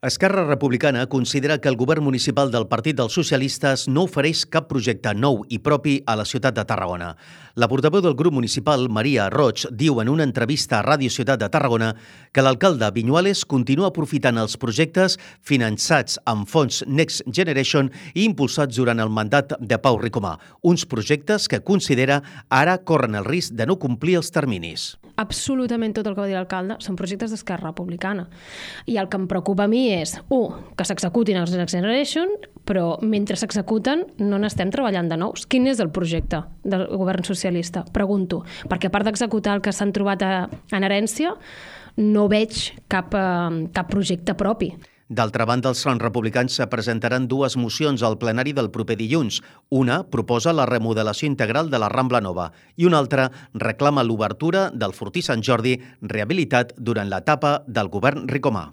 Esquerra Republicana considera que el govern municipal del Partit dels Socialistes no ofereix cap projecte nou i propi a la ciutat de Tarragona. La portaveu del grup municipal, Maria Roig, diu en una entrevista a Ràdio Ciutat de Tarragona que l'alcalde Viñuales continua aprofitant els projectes finançats amb fons Next Generation i impulsats durant el mandat de Pau Ricomà, uns projectes que considera ara corren el risc de no complir els terminis. Absolutament tot el que va dir l'alcalde són projectes d'Esquerra Republicana. I el que em preocupa a mi és, que s'executin els Next Generation, però mentre s'executen no n'estem treballant de nous. Quin és el projecte del govern socialista? Pregunto. Perquè a part d'executar el que s'han trobat en herència, no veig cap projecte propi. D'altra banda, els republicans presentaran dues mocions al plenari del proper dilluns. Una proposa la remodelació integral de la Rambla Nova i una altra reclama l'obertura del Fortí Sant Jordi rehabilitat durant l'etapa del govern Ricomà.